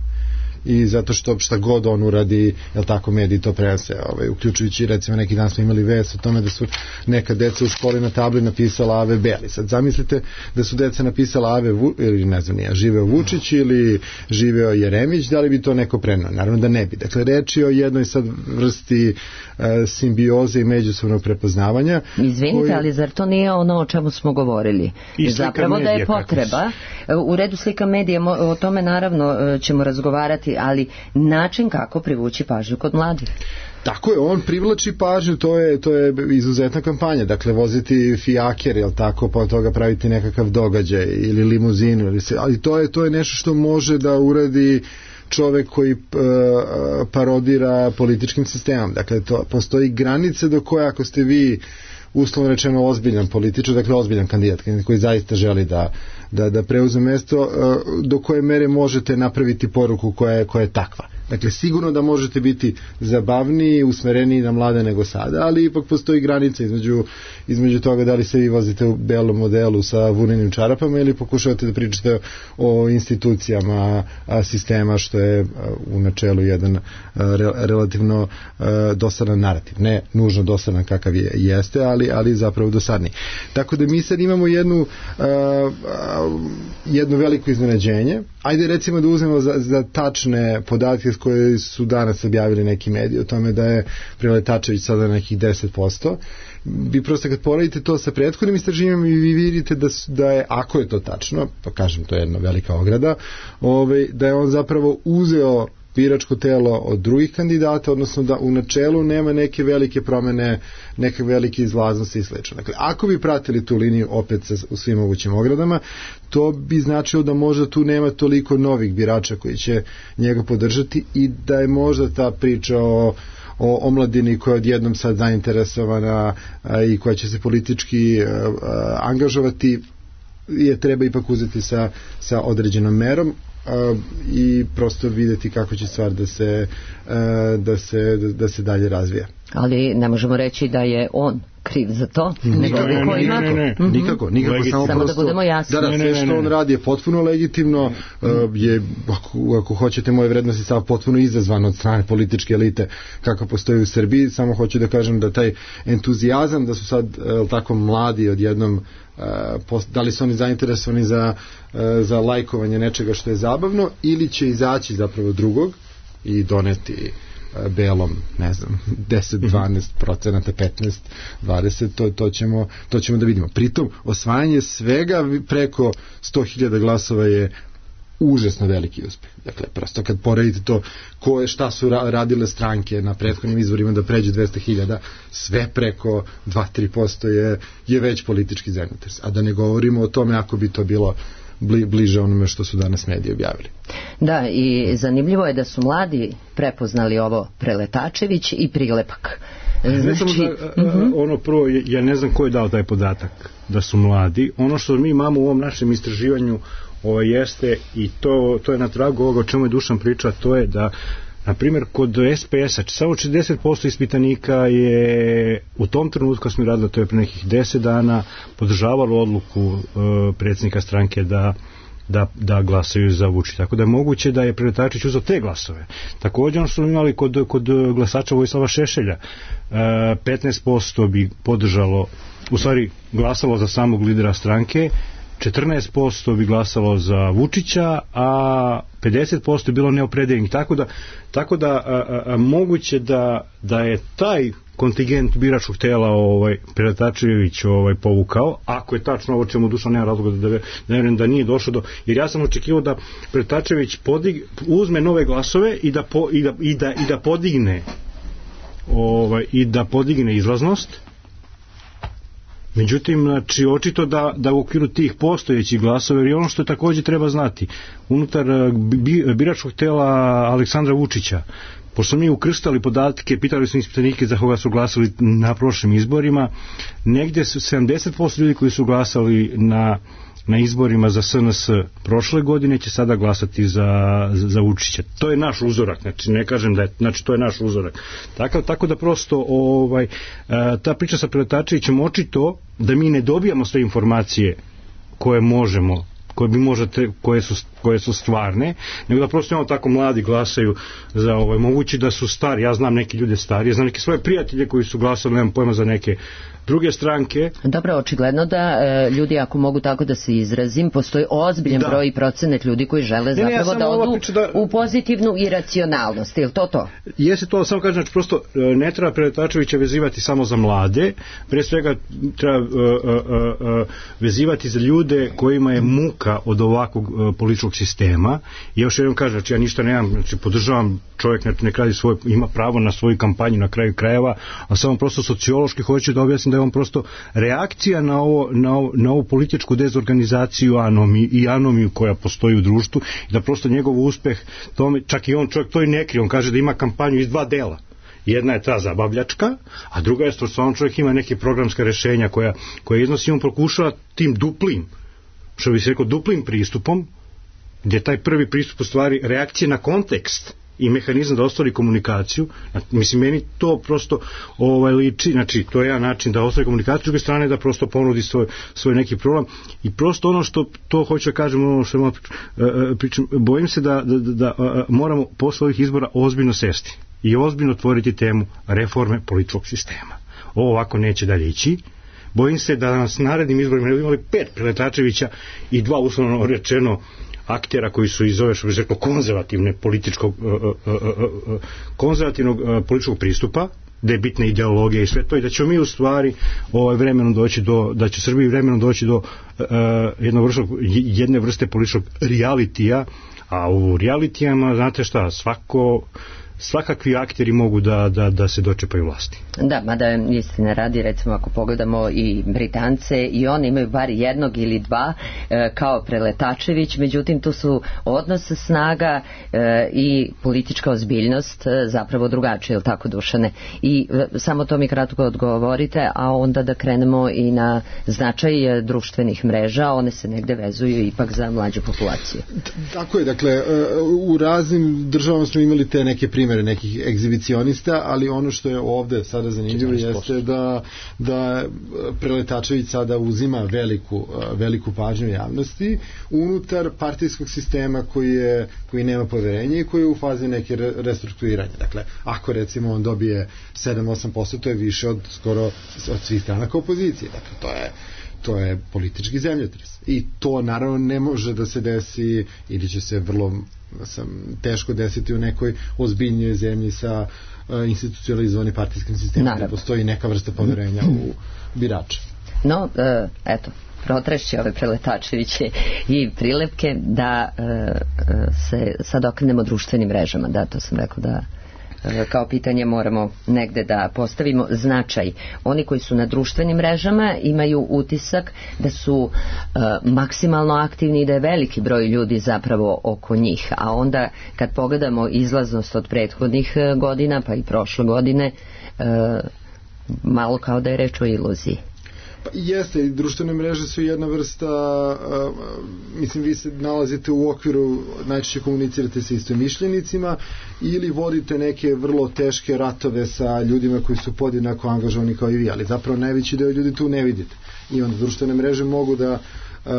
i zato što šta god on uradi, jel tako, mediji to prenose, ovaj, uključujući recimo neki dan smo imali vest o tome da su neka deca u školi na tabli napisala Ave Beli. Sad zamislite da su deca napisala Ave Vu, ili ne znam nije, živeo Vučić ili živeo Jeremić, da li bi to neko prenao? Naravno da ne bi. Dakle, reč je o jednoj sad vrsti uh, simbioze i međusobnog prepoznavanja. Izvinite, koji... ali zar to nije ono o čemu smo govorili? I zapravo da je potreba. U redu slika medija, o tome naravno ćemo razgovarati, ali način kako privući pažnju kod mladih. Tako je, on privlači pažnju, to je, to je izuzetna kampanja, dakle voziti fijaker, jel tako, pa od toga praviti nekakav događaj ili limuzinu, ili se, ali to je, to je nešto što može da uradi čovek koji uh, parodira političkim sistemom. Dakle, to, postoji granice do koje ako ste vi uslovno rečeno ozbiljan političar, dakle ozbiljan kandidat koji zaista želi da, da, da preuze mesto, do koje mere možete napraviti poruku koja je, koja je takva. Dakle, sigurno da možete biti zabavniji, usmereniji na mlade nego sada, ali ipak postoji granica između, između toga da li se vi vozite u belom modelu sa vunenim čarapama ili pokušavate da pričate o institucijama sistema, što je u načelu jedan re, relativno dosadan narativ. Ne nužno dosadan kakav je, jeste, ali, ali zapravo dosadni. Tako da mi sad imamo jednu, jedno veliko iznenađenje. Ajde recimo da uzmemo za, za tačne podatke koje su danas objavili neki mediji o tome da je Preletačević sada nekih deset posto. Vi prosto kad poredite to sa prethodnim istraživanjem i vi vidite da, da je, ako je to tačno, pa kažem to je jedna velika ograda, ovaj, da je on zapravo uzeo biračko telo od drugih kandidata, odnosno da u načelu nema neke velike promene, neke velike izlaznosti i slično. Dakle, ako bi pratili tu liniju opet sa, u svim mogućim ogradama, to bi značilo da možda tu nema toliko novih birača koji će njega podržati i da je možda ta priča o o omladini koja je odjednom sad zainteresovana a, i koja će se politički a, a, angažovati je treba ipak uzeti sa, sa određenom merom a, i prosto videti kako će stvar da se, a, da se, da se dalje razvija. Ali ne možemo reći da je on kriv za to, nego ne, ne, ne, ne, ne, ne. Mm-hmm. nikako, nikako samo, samo prosto, da budemo jasni. Da, da, sve što on radi je potpuno legitimno, mm. uh, je, ako, ako hoćete, moje vrednosti stav potpuno izazvan od strane političke elite kako postoji u Srbiji, samo hoću da kažem da taj entuzijazam, da su sad uh, tako mladi odjednom, uh, post, da li su oni zainteresovani za, uh, za lajkovanje nečega što je zabavno, ili će izaći zapravo drugog i doneti belom, ne znam, deset, dvanaest procenata, petnaest, dvadeset, to, to, ćemo, to ćemo da vidimo. Pritom, osvajanje svega preko sto hiljada glasova je užasno veliki uspeh. Dakle, prosto kad poredite to ko je, šta su radile stranke na prethodnim izborima da pređe dvesta hiljada, sve preko dva do tri posto je, je već politički zainteres. A da ne govorimo o tome ako bi to bilo bliže onome što su danas mediji objavili. Da, i zanimljivo je da su mladi prepoznali ovo Preletačević i prilepak. Znači, da, uh-huh. ono prvo, ja ne znam ko je dao taj podatak da su mladi. Ono što mi imamo u ovom našem istraživanju ovo jeste, i to, to je na tragu ovoga o čemu je Dušan priča, to je da na primjer, kod es pe es-a samo četrdeset posto ispitanika je u tom trenutku kad smo radili, to je pre nekih deset dana, podržavalo odluku e, predsjednika stranke da, da, da glasaju za Vučića. Tako da je moguće da je Preletačević uzeo te glasove. Također ono što smo imali kod, kod glasača Vojislava Šešelja, e, petnaest posto bi podržalo, u stvari glasalo za samog lidera stranke, četrnaest posto bi glasalo za Vučića, a pedeset posto je bilo neopredeljenih. Tako da, tako da a, a, moguće da, da je taj kontingent biračkog tela ovaj, Preletačević ovaj, povukao, ako je tačno ovo čemu Dušan nema razloga da, da, da, da nije došlo do... Jer ja sam očekivao da Preletačević podig, uzme nove glasove i da, po, i da, i da, i da podigne ovaj, i da podigne izlaznost, Međutim, znači, očito da, da u okviru tih postojećih glasova, jer i ono što takođe treba znati, unutar bi, biračkog tela Aleksandra Vučića, pošto mi ukrštali podatke, pitali smo ispitanike za koga su glasali na prošlim izborima, negde su sedamdeset posto ljudi koji su glasali na na izborima za S N S prošle godine će sada glasati za, za, za Vučića. To je naš uzorak, znači ne kažem da je, znači to je naš uzorak. Tako, tako da prosto ovaj, ta priča sa Preletačevićem očito da mi ne dobijamo sve informacije koje možemo, koje bi možete, koje su, koje su stvarne, nego da prosto imamo tako mladi glasaju za ovaj, mogući da su stari, ja znam neke ljude stari, ja znam neke svoje prijatelje koji su glasali, nemam pojma za neke druge stranke. Dobro, očigledno da e, ljudi, ako mogu tako da se izrazim, postoji ozbiljan da. broj i procenat ljudi koji žele zapravo ne, ne, ja da odu da... u pozitivnu iracionalnost, je li to to? Jeste to, samo kažem, znači prosto ne treba Preletačevića vezivati samo za mlade, pre svega treba uh, uh, uh, vezivati za ljude kojima je muka od ovakvog uh, političkog sistema. I još jednom kažem, znači ja ništa nemam, znači podržavam čovjek, znači nek radi svoj, ima pravo na svoju kampanju na kraju krajeva, a samo prosto sociološki hoću da objasnim da je on prosto reakcija na ovo, na ovo, na ovu političku dezorganizaciju anomiju, i anomiju koja postoji u društvu i da prosto njegov uspeh tome, čak i on čovjek to i ne krije, on kaže da ima kampanju iz dva dela. Jedna je ta zabavljačka, a druga je što on čovjek ima neke programska rešenja koja, koja iznosi, on pokušava tim duplim, što bi se rekao duplim pristupom, gdje taj prvi pristup u stvari reakcije na kontekst i mehanizam da ostvari komunikaciju. Mislim, meni to prosto ovaj, liči, znači to je jedan način da ostvari komunikaciju, s druge strane da prosto ponudi svoj, svoj neki problem i prosto ono što to hoću da kažem, ono što malo pričam, bojim se da, da, da, da moramo posle ovih izbora ozbiljno sesti i ozbiljno otvoriti temu reforme političkog sistema. Ovo ovako neće dalje ići. Bojim se da nas narednim izborima ne imali pet Preletačevića i dva uslovno rečeno aktera koji su iz ove, što bi rekao, konzervativne političkog uh, uh, uh, uh, konzervativnog uh, političkog pristupa, da je bitna ideologija i sve to, i da ćemo mi u stvari ovaj, vremenom doći do, da će Srbiji vremenom doći do uh, jednog vrste, jedne vrste političkog realitija, a u realitijama, znate šta, svako svakakvi akteri mogu da, da, da se dočepaju vlasti. Da, mada istine radi, recimo ako pogledamo i Britance, i oni imaju bar jednog ili dva e, kao Preletačević, međutim tu su odnos snaga e, i politička ozbiljnost e, zapravo drugačije, ili tako, Dušane? I e, samo to mi kratko odgovorite, a onda da krenemo i na značaj e, društvenih mreža, one se negde vezuju ipak za mlađu populaciju. Tako je, dakle, u raznim državama smo imali te neke primere nekih egzibicionista, ali ono što je ovde sada zanimljivo jeste da, da Preletačević sada uzima veliku, veliku pažnju javnosti unutar partijskog sistema koji, je, koji nema poverenje i koji je u fazi neke restrukturiranja. Dakle, ako recimo on dobije sedam do osam posto, to je više od skoro od svih stranaka opozicije. Dakle, to je to je politički zemljotres. I to naravno ne može da se desi ili će se vrlo sam, teško desiti u nekoj ozbiljnijoj zemlji sa uh, institucionalizovanim partijskim sistemom, gde postoji neka vrsta poverenja u birača. No, uh, eto, protrešći ove Preletačeviće i prilepke da uh, se sad okrenemo društvenim mrežama. Da, to sam rekao da kao pitanje moramo negde da postavimo značaj. Oni koji su na društvenim mrežama imaju utisak da su uh, maksimalno aktivni i da je veliki broj ljudi zapravo oko njih, a onda kad pogledamo izlaznost od prethodnih godina pa i prošle godine, uh, malo kao da je reč o iluziji. Pa jeste, društvene mreže su jedna vrsta, uh, mislim, vi se nalazite u okviru, najčešće komunicirate sa istomišljenicima ili vodite neke vrlo teške ratove sa ljudima koji su podjednako angažovani kao i vi, ali zapravo najveći deo ljudi tu ne vidite. I onda društvene mreže mogu da uh,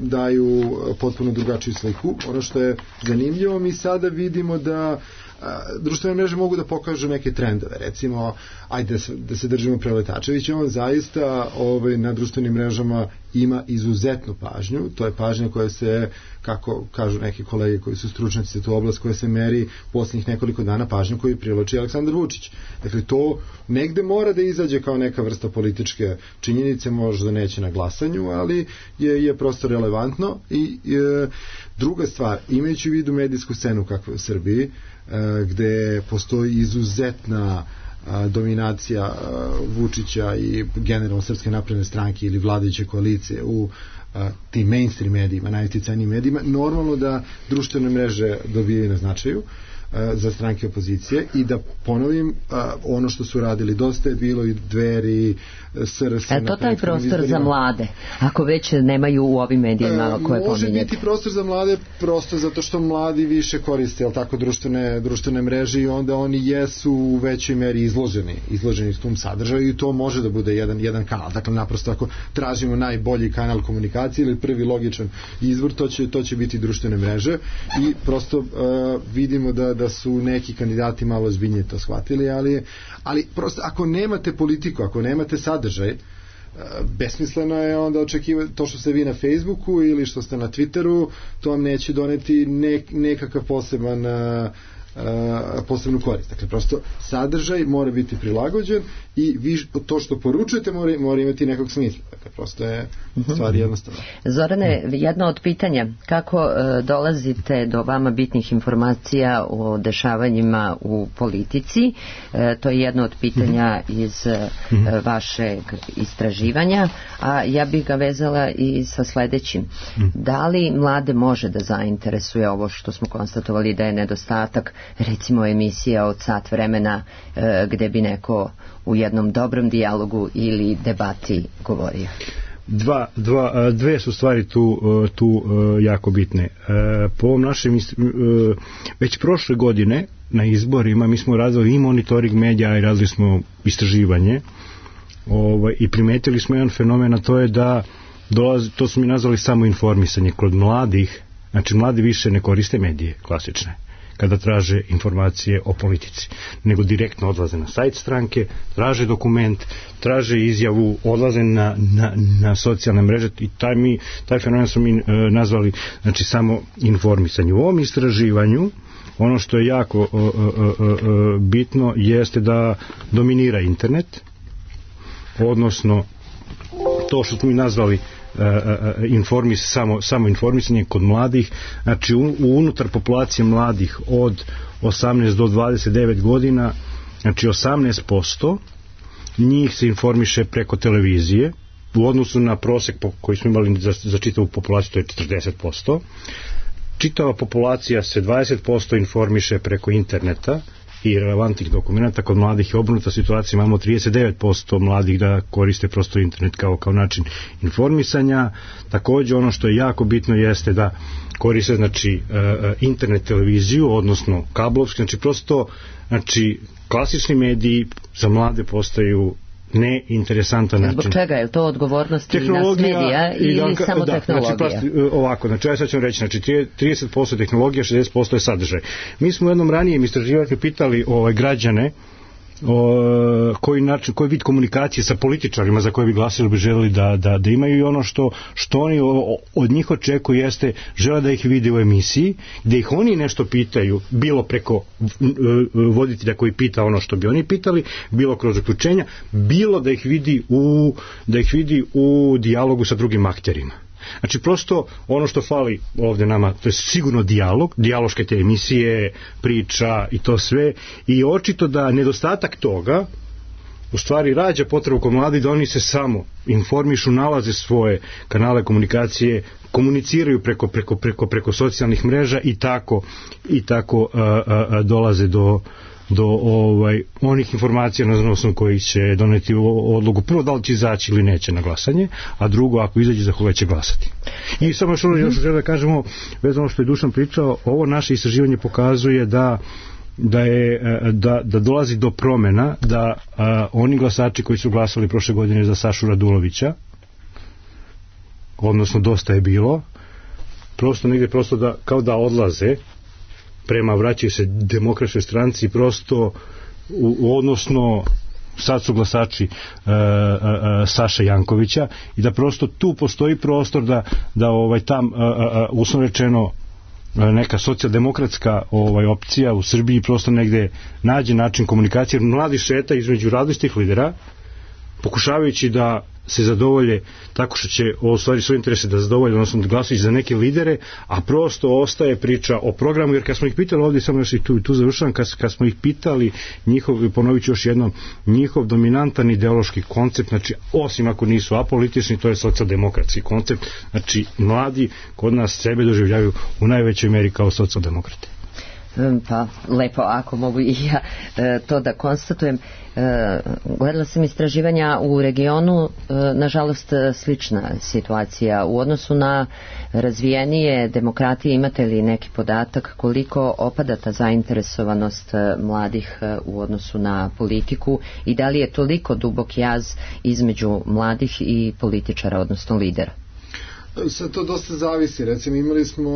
daju potpuno drugačiju sliku. Ono što je zanimljivo, mi sada vidimo da društvene mreže mogu da pokažu neke trendove, recimo ajde da se, da se držimo Preletačevića, on zaista ovaj, na društvenim mrežama ima izuzetnu pažnju, to je pažnja koja se, kako kažu neki kolege koji su stručnjaci za tu oblast, koja se meri posljednjih nekoliko dana pažnju koju privlači Aleksandar Vučić. Dakle, to negde mora da izađe kao neka vrsta političke činjenice, možda neće na glasanju, ali je, je prosto relevantno. I e, druga stvar, imajući u vidu medijsku scenu kakva je u Srbiji, gde postoji izuzetna a, dominacija a, Vučića i generalno Srpske napredne stranke ili vladajuće koalicije u a, tim mainstream medijima, najuticajnijim medijima, normalno da društvene mreže dobijaju na značaju za stranke opozicije i da ponovim ono što su radili, dosta je bilo i Dveri, S R S. E to taj prostor za mlade, ako već nemaju u ovim medijima koje može pominjete? Biti prostor za mlade prosto zato što mladi više koriste, jel tako, društvene, društvene mreže i onda oni jesu u većoj meri izloženi, izloženi s tom sadržaju i to može da bude jedan, jedan kanal. Dakle, naprosto ako tražimo najbolji kanal komunikacije ili prvi logičan izvor, to će, to će biti društvene mreže i prosto uh, vidimo da da su neki kandidati malo ozbiljnije to shvatili, ali, ali prosto ako nemate politiku, ako nemate sadržaj, besmisleno je onda očekivati to što ste vi na Facebooku ili što ste na Twitteru, to vam neće doneti nek, nekakav poseban Uh, posebnu korist. Dakle, prosto sadržaj mora biti prilagođen i vi, to što poručujete mora, mora imati nekog smisla. Dakle, prosto je stvar jednostavna. Zorane, jedno od pitanja, kako uh, dolazite do vama bitnih informacija o dešavanjima u politici? Uh, to je jedno od pitanja iz uh, vašeg istraživanja, a ja bih ga vezala i sa sledećim. Da li mlade može da zainteresuje ovo što smo konstatovali da je nedostatak, recimo emisija od sat vremena e, gde bi neko u jednom dobrom dijalogu ili debati govorio? Dva, dva, dve su stvari tu, tu jako bitne. Po ovom našem, već prošle godine na izborima mi smo radili i monitoring medija i radili smo istraživanje ovaj, i primetili smo jedan fenomen, a to je da dolazi, to su mi nazvali samo informisanje kod mladih. Znači, mladi više ne koriste medije klasične kada traže informacije o politici, nego direktno odlaze na sajt stranke, traže dokument, traže izjavu, odlaze na, na, na socijalne mreže i taj, mi, taj fenomen smo mi e, nazvali, znači, samo informisanje. U ovom istraživanju ono što je jako e, e, e, bitno jeste da dominira internet, odnosno to što smo mi nazvali Uh, uh, informis, samo, samo informisanje kod mladih, znači u, unutar populacije mladih od osamnaest do dvadeset devet godina, znači osamnaest posto njih se informiše preko televizije u odnosu na prosek po, koji smo imali za, za čitavu populaciju, to je četrdeset posto. Čitava populacija se dvadeset posto informiše preko interneta i relevantnih dokumenta. Kod mladih je obrnuta situacija, imamo trideset devet posto mladih da koriste prosto internet kao, kao način informisanja. Takođe ono što je jako bitno jeste da koriste, znači, internet televiziju, odnosno kablovski, znači prosto, znači, klasični mediji za mlade postaju neinteresantan način. Zbog čega je to odgovornost i nas medija ili da, samo da, tehnologija? Znači, ovako, znači, ja sad ću reći, znači, trideset posto tehnologija, šezdeset posto je sadržaj. Mi smo u jednom ranijem istraživanju pitali ovaj, građane o, koji, način, koji vid komunikacije sa političarima za koje bi glasili bi želeli da, da, da imaju i ono što, što oni od njih očekuju jeste žele da ih vide u emisiji, gde ih oni nešto pitaju, bilo preko voditelja koji pita ono što bi oni pitali, bilo kroz uključenja, bilo da ih vidi u, da ih vidi u dijalogu sa drugim akterima. Znači, prosto ono što fali ovde nama, to je sigurno dijalog, dijaloške te emisije, priča i to sve, i očito da nedostatak toga u stvari rađa potrebu kod mladih da oni se samo informišu, nalaze svoje kanale komunikacije, komuniciraju preko, preko, preko, preko socijalnih mreža i tako, i tako a, a, a, dolaze do do ovaj, onih informacija na osnovu koji će doneti odluku, prvo da li će izaći ili neće na glasanje, a drugo ako izađe za koga će glasati. I samo što još želim da kažemo, vezano što je Dušan pričao, ovo naše istraživanje pokazuje da da je da, da dolazi do promena, da a, oni glasači koji su glasali prošle godine za Sašu Radulovića, odnosno dosta je bilo, prosto negde prosto da, kao da odlaze prema, vraćaju se demokratskoj stranci, prosto u, u odnosno sad su glasači uh, uh, Saša Jankovića, i da prosto tu postoji prostor da, da ovaj tam uh, uh, uslovno rečeno neka socijaldemokratska ovaj opcija u Srbiji prosto negde nađe način komunikacije. Mladi šeta između različitih lidera pokušavajući da se zadovolje tako što će u stvari svoje interese da zadovolje, odnosno da glasaju za neke lidere, a prosto ostaje priča o programu, jer kad smo ih pitali ovdje, samo još i tu, tu završavam, kad, kad smo ih pitali njihov, ponovit ću još jednom, njihov dominantan ideološki koncept, znači osim ako nisu apolitični, to je socijaldemokratski koncept, znači mladi kod nas sebe doživljavaju u najvećoj meri kao socijaldemokrate. Pa lepo, ako mogu i ja e, to da konstatujem. E, gledala sam istraživanja u regionu, e, nažalost slična situacija u odnosu na razvijenije demokratije. Imate li neki podatak koliko opada ta zainteresovanost mladih u odnosu na politiku i da li je toliko dubok jaz između mladih i političara, odnosno lidera? Sad to dosta zavisi, recimo imali smo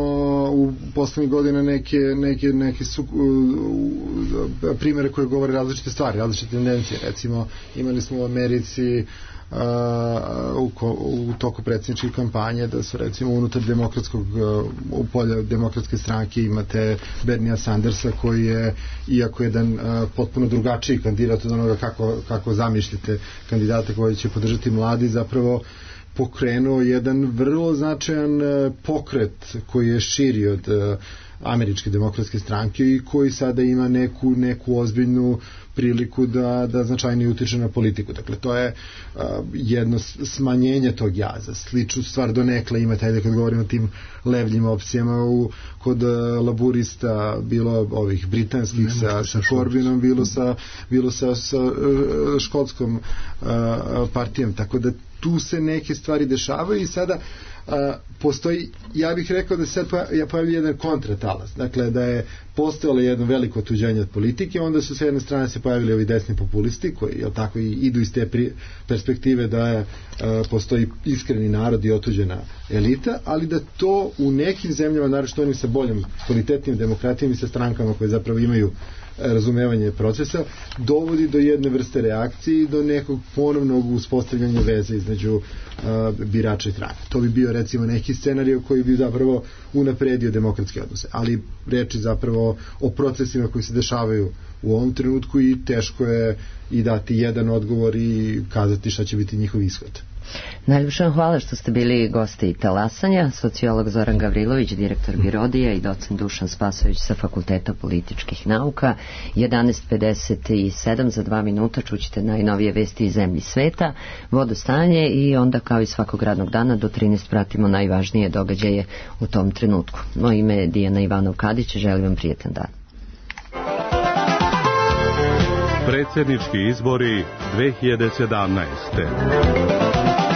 u poslednjih godina neke, neke, neke su, uh, primere koje govore različite stvari, različite tendencije, recimo imali smo u Americi uh, u, u toku predsjedničke kampanje da su recimo unutar demokratskog uh, u polja demokratske stranke imate Bernija Sandersa koji je, iako jedan uh, potpuno drugačiji kandidat od onoga kako, kako zamišljate kandidata koji će podržati mladi, zapravo pokrenuo jedan vrlo značajan pokret koji je širi od američke demokratske stranke i koji sada ima neku, neku ozbiljnu priliku da, da značajnije utiče na politiku. Dakle, to je uh, jedno smanjenje tog jaza. Sličnu stvar donekle imate, ajde kad govorimo o tim levljim opcijama u, kod uh, laburista, bilo ovih britanskih sa, sa Corbynom, bilo sa, bilo sa, sa uh, škotskom uh, partijom. Tako da tu se neke stvari dešavaju i sada uh, postoji, ja bih rekao da se sad pojavlja jedan kontratalas, dakle da je postojalo jedno veliko otuđenje od politike, onda su sa jedne strane se pojavili ovi desni populisti koji, jel tako, i idu iz te pri, perspektive da je, uh, postoji iskreni narod i otuđena elita, ali da to u nekim zemljama, naročito onim sa boljom kvalitetnim demokratijom i sa strankama koje zapravo imaju razumevanje procesa, dovodi do jedne vrste reakcije i do nekog ponovnog uspostavljanja veze između uh, birača i stranaka. To bi bio recimo neki scenarij koji bi zapravo unapredio demokratske odnose, ali reči zapravo o procesima koji se dešavaju u ovom trenutku i teško je i dati jedan odgovor i kazati šta će biti njihov ishod. Najljepša vam hvala što ste bili gosti Talasanja, sociolog Zoran Gavrilović, direktor Birodija i docent Dušan Spasović sa Fakulteta političkih nauka. jedanaest pedeset sedam, za dva minuta čućete najnovije vesti iz zemlji sveta, vodostanje i onda kao i svakog radnog dana do trinaest pratimo najvažnije događaje u tom trenutku. Moje ime je Dijana Ivanov-Kadić, želim vam prijetan dan. Predsjednički izbori dve hiljade sedamnaeste. Thank you.